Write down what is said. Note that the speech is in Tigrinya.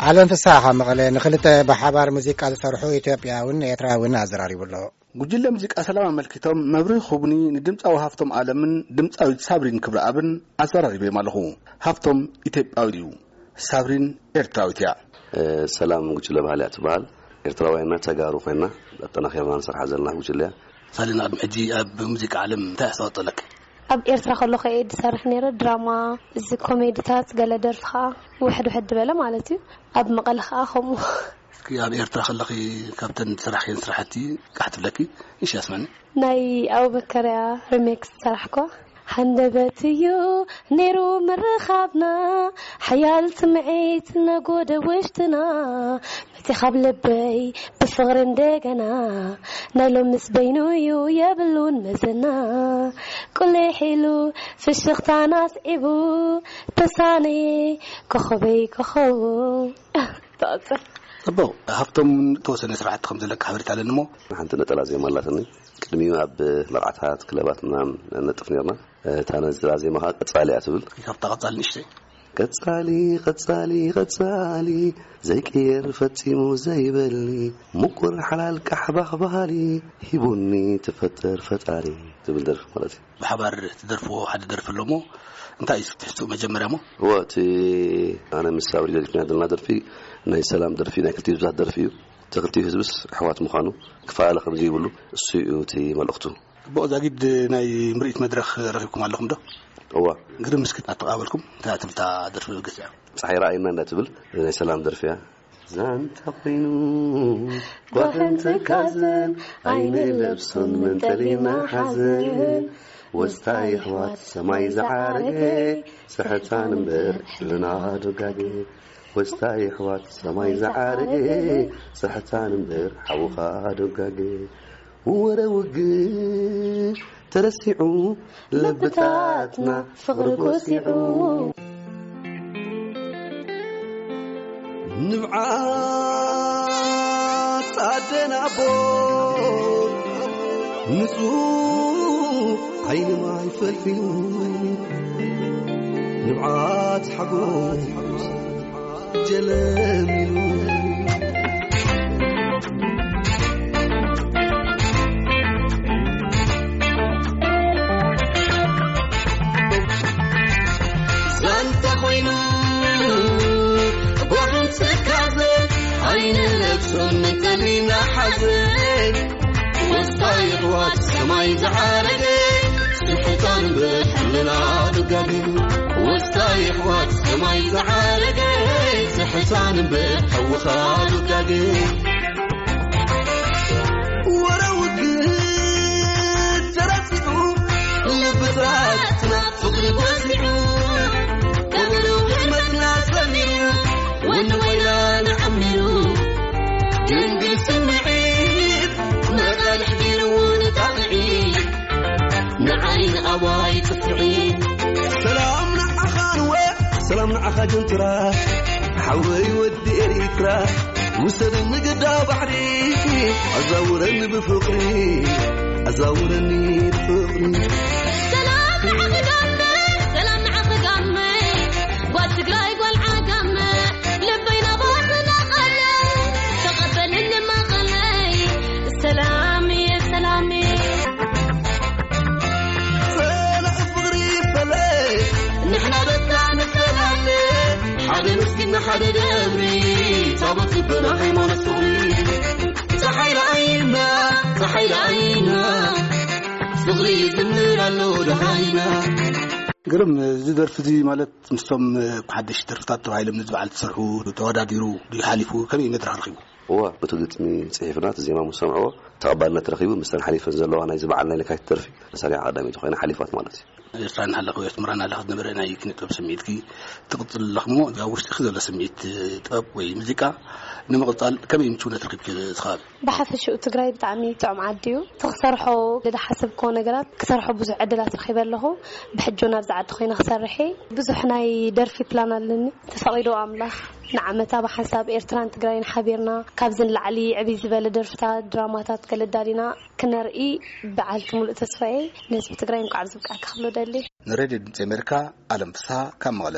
ኣለም ፍስሓ ካብ መቐለ ንኽልተ ብሓባር ሙዚቃ ዝሰርሑ ኢትዮጵያውን ኤርትራውን ኣዘራሪቡ ኣሎ። ጉጅለ ሙዚቃ ሰላም ኣመልኪቶም መብርሂ ክህቡኒ ንድምጻዊ ሃፍቶም ኣለምን ድምጻዊት ሳብሪን ክብረኣብን ኣዘራሪበዮም ኣለኹ። ሃፍቶም ኢትዮጵያዊ እዩ፣ ሳብሪን ኤርትራዊት እያ። እ፣ ሰላም ጉጅለ ባህሊ እያ ትበሃል። ኤርትራውያንና ተጋሩ ኮይና ኣጠናኺርና ንሰርሓ ዘለና ጉጅለ እያ። ሳሊና፣ ኣብ ሕጂ ኣብ ሙዚቃ ዓለም እንታይ ኣስተዋፅኦ ኣለኪ? ኣብ ኤርትራ ከለኹ እየ ዝሰርሕ ነይረ፣ ድራማ፣ እዚ ኮሜዲታት፣ ገለ ደርፊ ከዓ ውሕድ ውሕድ ዝበለ ማለት እዩ። ኣብ መቐለ ከዓ ከምኡ። እስኪ ኣብ ኤርትራ ከለኺ ካብተን ዝሰራሕክየን ስራሕቲ ቃሕ ትብለኪ ንሽ ኣስመኒ። ናይ ኣቡበከርያ ሪሜክስ ዝሰራሕኳ ሃንደበት እዩ ነይሩ ምርኻብና፣ ሓያል ስምዒት ነጎደ ውሽጥና፣ መፂኻ ኣብ ልበይ ብፍቕሪ እንደገና፣ ናይ ሎምስ በይኑ እዩ የብሉን መዘና፣ ቁሊሕ ኢሉ ፍሽኽታና ኣስዒቡ፣ ተሳነየ ኮኸበይ ኮኸቡ። ተቐጽል። ጽቡቕ፣ ሃብቶም ተወሰነ ስራሕቲ ከም ዘለካ ሓበሬታ ኣለኒ እሞ። ሓንቲ ነጠላ ዜማ ኣላትኒ። ቅድሚኡ ኣብ መርዓታት፣ ክለባት ምናምን ነጥፍ ነርና። እታ ነጠላ ዜማ ኸዓ ቀጻሊ እያ ትብል። ካብታ ቀጻሊ ንእሽተይ። ቀጻሊ፣ ቀጻሊ፣ ቀጻሊ፣ ዘይቅየር ፈጺሙ ዘይበሊ፣ ምቁር ሓላል ቃሕ ባኽ በሃሊ፣ ሂቡኒ ትፈጠር ፈጣሪ ትብል ደርፊ ማለት እዩ። ብሓባር ትደርፍዎ ሓደ ደርፊ ኣሎ እሞ፣ እንታይ እዩ ትሕዝትኡ መጀመርያ እሞ? እወ፣ እቲ ኣነ ምስ ሳብሪ ደሪፍና ዘለና ደርፊ ናይ ሰላም ደርፊ፣ ናይ ክልቲኡ ህዝብታት ደርፊ እዩ። እቲ ክልቲኡ ህዝብስ ኣሕዋት ምዃኑ፣ ክፈላለ ከም ዘይብሉ፣ እሱ እዩ እቲ መልእኽቱ። ጽቡቕ፣ ዛጊድ ናይ ምርኢት መድረኽ ረኺብኩም ኣለኹም ዶ? እወ። ግርም፣ እስኪ ኣተቓበልኩም፣ እንታይ ትብል እታ ደርፊ ገዚኣ? ጸሓይ ረኣይና እንዳትብል ናይ ሰላም ደርፊ እያ። ዛንታ ኮይኑ ጓህን ትካዘን ኣይንለብሶን መንጠሊና ሓዘን። ወስታ የሕዋት ሰማይ ዝዓረገ ስሕታን እምበር ሕልና ዶጋገ። ወስታ የሕዋት ሰማይ ዝዓረገ ስሕታን እምበር ሓውኻ ዶጋገ። ወረ ውግእ ተረሲዑ ልብታትና ፍቕሪ ጎሲዑ። ንብዓት ኣደን ኣቦ ንጹህ ዓይኒ ማይ ፈልፊሉ፣ ንብዓት ሓጎስ ጀለሚሉ። ዛንታ ኮይኑ ጓህን ትካዘ ኣይንለብሶን ንቀሊና ሓዘን። ወስታ የሕዋት ሰማይ ዝዓረገ ስሕታን እምበር ሕልና ዶጋገ። ወስታ የሕዋት ሰማይ ዝዓረገ ስሕታን እምበር ሓውኻ ዶጋገ። ወረ ውግእ ተረሲዑ ልብታትና ፍቕሪ ጎሲዑ፣ ቀብሩ ህልመትና ሰሚሩ፣ ወኒ ወይና ንዓሚሩ። ድንግል ስምዒት መቓልሕ ገይርዎ ንጣቕዒ፣ ንዓይ ንኣባይ ጥፍዒ። ሰላም ንዓኻ ንወ፣ ሰላም ንዓኻ ጀንትራ፣ ሓወይ ወዲ ኤሪትራ። ውሰድኒ ግዳ ባሕሪ፣ ኣዛውረኒ ብፍቕሪ፣ ኣዛውረኒ ብፍቕሪ። ሰላም ንዓኺ ጋመ፣ ሰላም ንዓኺ ጋመ፣ ጓል ትግራይ ጓል ዓጋመ፣ ልበይ ናባኺ ናቐለ፣ ተቐበልኒ መቐለይ፣ ሰላም እየ ሰላም እየ። ጸላኢ ፍቕሪ ይፈለ፣ ንሕና በቃ ንፈላለ፣ ሓደ መስጊድና ሓደ ደብሪ፣ ታቦት ልብና ሃይማኖት ፍቕሪ። ጸሓይ ረኣይና፣ ጸሓይ ረኣይና፣ ፍቕሪ ይዝምር ኣሎ ደሃይና። ግርም፣ እዚ ደርፊ እዚ ማለት ምስቶም ሓደሽቲ ደርፍታት ተባሂሎም ነዚ በዓል ዝሰርሑ ተወዳዲሩ ድዩ ሓሊፉ? ከመይ መድረኽ ረኺቡ? እዋ፣ እቲ ግጥሚ ጽሒፍና፣ እቲ ዜማ ምስ ሰምዕዎ ተቐባልነት ረኺቡ፣ ምስተን ሓሊፈን ዘለዋ ናይዚ በዓል ናይ ለካቲት ደርፊ ተሰሪዓ ቀዳመይቲ ኮይና ሓሊፋት ማለት እዩ። ኤርትራ እናሃለኹ፣ ኣስመራ እናሃለኹ ዝነበረ ናይ ኪነ ጥበብ ስምዒትኪ ትቕጽል ኣለኹ እሞ፣ ኣብ ውሽጥኺ ዘሎ ስምዒት ጥበብ ወይ ሙዚቃ ንምቕጻል ከመይ ምቹውነት ረኺብኪ እቲ ከባቢ? ብሓፈሽኡ ትግራይ ብጣዕሚ ጥዑም ዓዲ እዩ። እቲ ክሰርሖ ዝሓሰብክዎ ነገራት ክሰርሖ ብዙሕ ዕድላት ረኺበ ኣለኹ። ብሕጂ እውን ኣብዚ ዓዲ ኮይነ ክሰርሕ እየ። ብዙሕ ናይ ደርፊ ፕላን ኣለኒ። ተፈቒዱ ኣምላኽ ንዓመታ ብሓንሳብ ኤርትራን ትግራይን ሓቢርና ካብዚ ንላዕሊ ዕብይ ዝበለ ደርፍታት፣ ድራማታት ገለ ኣዳሊና ክነርኢ በዓልቲ ሙሉእ ተስፋ እየ። ንህዝቢ ትግራይ እንኳዕ ኣብዚ ብቃዕካ ክብሎ ደሊ። ንሬድዮ ድምፂ ኣሜሪካ፣ ኣለም ፍስሃ ካብ መቐለ።